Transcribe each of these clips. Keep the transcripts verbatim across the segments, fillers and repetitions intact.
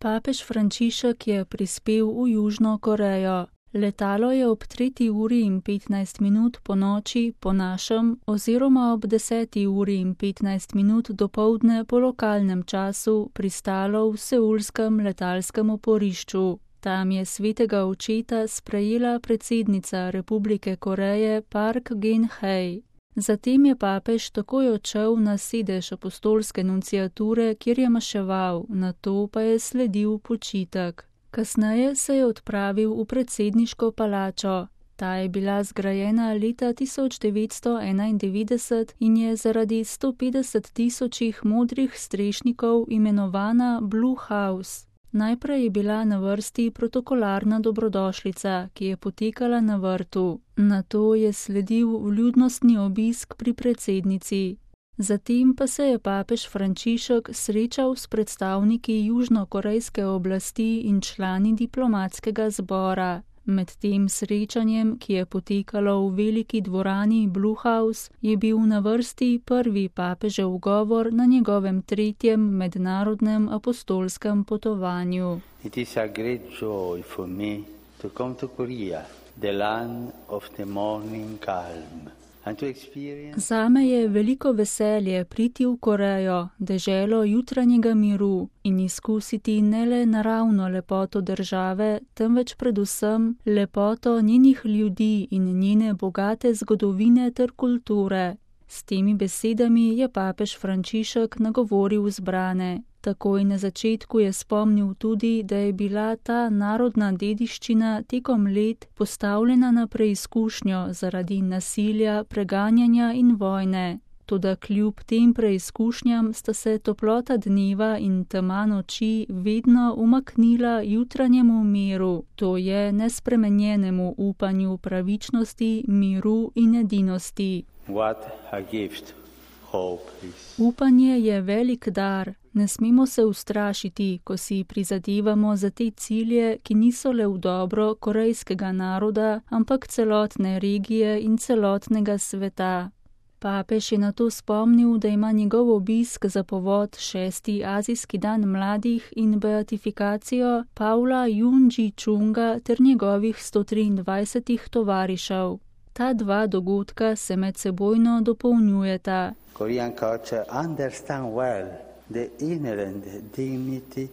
Papež Frančišek je prispel v Južno Korejo. Letalo je ob tretji uri in petnajst minut po noči po našem oziroma ob deseti uri in petnajst minut dopoldne po lokalnem času pristalo v seulskem letalskem oporišču. Tam je svetega očeta sprejela predsednica Republike Koreje Park Geun-hye. Zatem je papež takoj odšel na sedež apostolske nunciature, kjer je maševal, nato pa je sledil počitek. Kasneje se je odpravil v predsedniško palačo. Ta je bila zgrajena leta tisoč devetsto enaindevetdeset in je zaradi sto petdeset tisočih modrih strešnikov imenovana Blue House. Najprej je bila na vrsti protokolarna dobrodošlica, ki je potekala na vrtu. Nato je sledil vljudnostni obisk pri predsednici. Zatem pa se je papež Frančišek srečal s predstavniki južnokorejske oblasti in člani diplomatskega zbora. Med tem srečanjem, ki je potekalo v veliki dvorani Blue House, je bil na vrsti prvi papežev govor na njegovem tretjem mednarodnem apostolskem potovanju. It is a great joy for me to come to Korea, the land of the morning calm. Zame je veliko veselje priti v Korejo, deželo jutranjega miru, in izkusiti ne le naravno lepoto države, temveč predvsem lepoto njenih ljudi in njene bogate zgodovine ter kulture. S temi besedami je papež Frančišek nagovoril zbrane. Takoj na začetku je spomnil tudi, da je bila ta narodna dediščina tekom let postavljena na preizkušnjo zaradi nasilja, preganjanja in vojne. Toda kljub tem preizkušnjam sta se toplota dneva in tema noči vedno umaknila jutranjemu miru, to je nespremenjenemu upanju pravičnosti, miru in edinosti. What a gift, hope is. Upanje je velik dar. Ne smemo se ustrašiti, ko si prizadevamo za te cilje, ki niso le v dobro korejskega naroda, ampak celotne regije in celotnega sveta. Papež je nato spomnil, da ima njegov obisk za povod šesti azijski dan mladih in beatifikacijo Pavla Jung-ji-chunga ter njegovih sto triindvajsetih tovarišev. Ta dva dogodka se medsebojno dopolnjujeta. Korean culture understand well the inherent dignity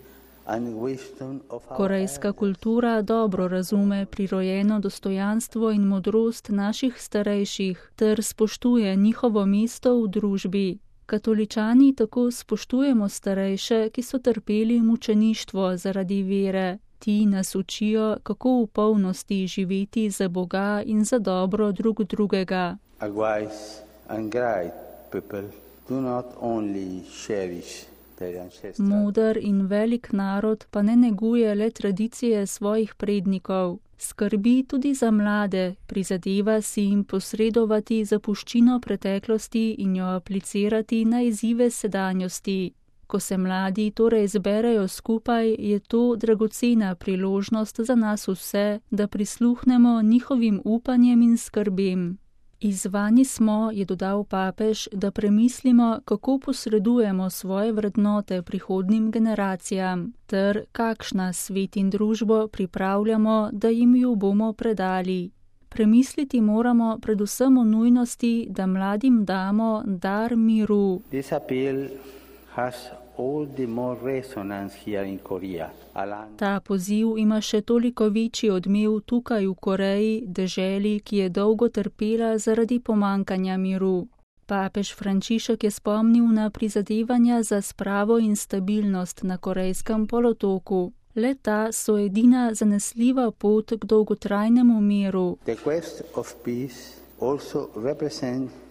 and wisdom of our Korejska kultura dobro razume prirojeno dostojanstvo in modrost naših starejših ter spoštuje njihovo mesto v družbi. Katoličani tako spoštujemo starejše, ki so trpeli mučeništvo zaradi vere. Ti nas učijo, kako v polnosti živeti za Boga in za dobro drug drugega. A wise and great people do not only cherish their ancestral. Moder in velik narod pa ne neguje le tradicije svojih prednikov. Skrbi tudi za mlade, prizadeva si jim posredovati zapuščino preteklosti in jo aplicirati na izzive sedanjosti. Ko se mladi torej zberejo skupaj, je to dragocena priložnost za nas vse, da prisluhnemo njihovim upanjem in skrbem. Izzvani smo, je dodal papež, da premislimo, kako posredujemo svoje vrednote prihodnim generacijam, ter kakšna svet in družbo pripravljamo, da jim jo bomo predali. Premisliti moramo predvsem o nujnosti, da mladim damo dar miru. This appeal has all the more resonance here in Korea. Ta poziv ima še toliko večji odmev tukaj v Koreji, deželi, ki je dolgo trpela zaradi pomankanja miru. Papež Frančišek je spomnil na prizadevanja za spravo in stabilnost na Korejskem polotoku. Le ta so edina zanesljiva pot k dolgotrajnemu miru. The quest of peace also represents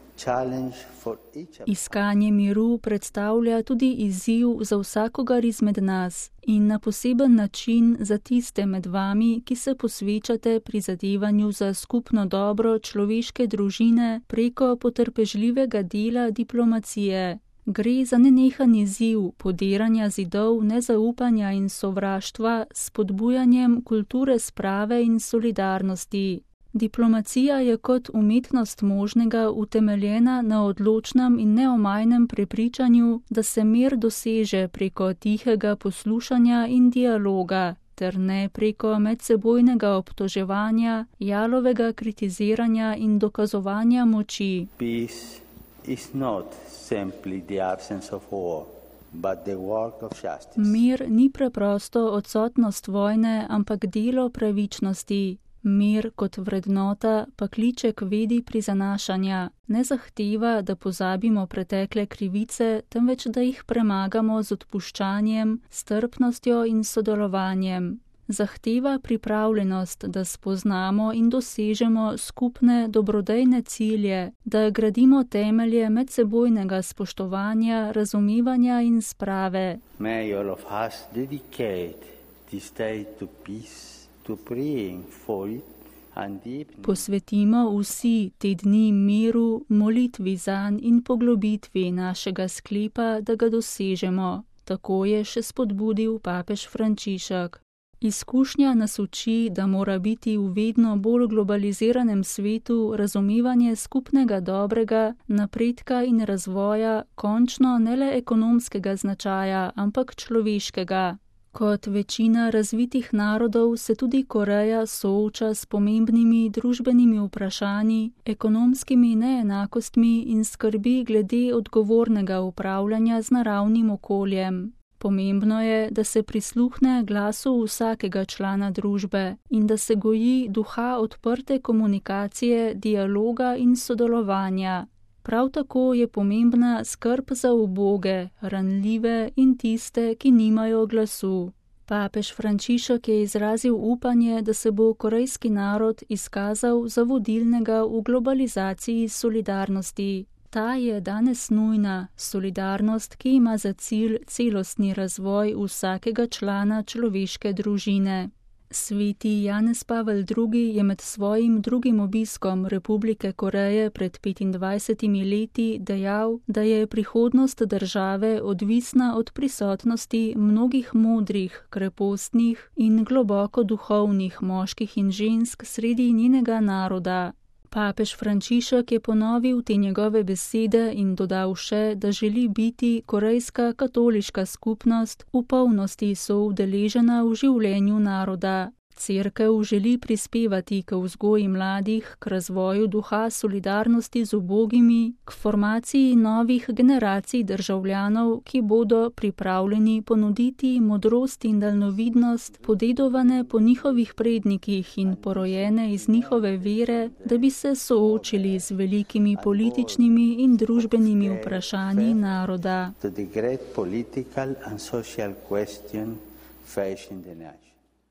Iskanje miru predstavlja tudi izziv za vsakogar izmed nas in na poseben način za tiste med vami, ki se posvečate prizadevanju za skupno dobro človeške družine preko potrpežljivega dela diplomacije. Gre za nenehan izziv podiranja zidov nezaupanja in sovraštva s spodbujanjem kulture sprave in solidarnosti. Diplomacija je kot umetnost možnega utemeljena na odločnem in neomajnem prepričanju, da se mir doseže preko tihega poslušanja in dialoga, ter ne preko medsebojnega obtoževanja, jalovega kritiziranja in dokazovanja moči. Peace is not simply the absence of war, but the work of justice. Mir ni preprosto odsotnost vojne, ampak delo pravičnosti. Mir kot vrednota pa kliče k vedi prizanašanja, ne zahteva, da pozabimo pretekle krivice, temveč da jih premagamo z odpuščanjem, strpnostjo in sodelovanjem. Zahteva pripravljenost, da spoznamo in dosežemo skupne dobrodejne cilje, da gradimo temelje medsebojnega spoštovanja, razumevanja in sprave. May all of us dedicate this day to peace. Posvetimo vsi te dni miru, molitvi zanj in poglobitvi našega sklepa, da ga dosežemo. Tako je še spodbudil papež Frančišek. Izkušnja nas uči, da mora biti v vedno bolj globaliziranem svetu razumevanje skupnega dobrega, napredka in razvoja končno ne le ekonomskega značaja, ampak človeškega. Kot večina razvitih narodov se tudi Koreja sooča s pomembnimi družbenimi vprašanji, ekonomskimi neenakostmi in skrbi glede odgovornega upravljanja z naravnim okoljem. Pomembno je, da se prisluhne glasu vsakega člana družbe in da se goji duha odprte komunikacije, dialoga in sodelovanja. Prav tako je pomembna skrb za uboge, ranljive in tiste, ki nimajo glasu. Papež Frančišek je izrazil upanje, da se bo korejski narod izkazal za vodilnega v globalizaciji solidarnosti. Ta je danes nujna, solidarnost, ki ima za cilj celostni razvoj vsakega člana človeške družine. Sveti Janez Pavel drugi je med svojim drugim obiskom Republike Koreje pred petindvajsetimi leti dejal, da je prihodnost države odvisna od prisotnosti mnogih modrih, krepostnih in globoko duhovnih moških in žensk sredi njenega naroda. Papež Frančišek je ponovil te njegove besede in dodal še, da želi biti korejska katoliška skupnost v polnosti soudeležena v življenju naroda. Cerkev želi prispevati k vzgoji mladih, k razvoju duha solidarnosti z ubogimi, k formaciji novih generacij državljanov, ki bodo pripravljeni ponuditi modrost in daljnovidnost, podedovane po njihovih prednikih in porojene iz njihove vere, da bi se soočili z velikimi političnimi in družbenimi vprašanji naroda. To the great political and social question facing the nation.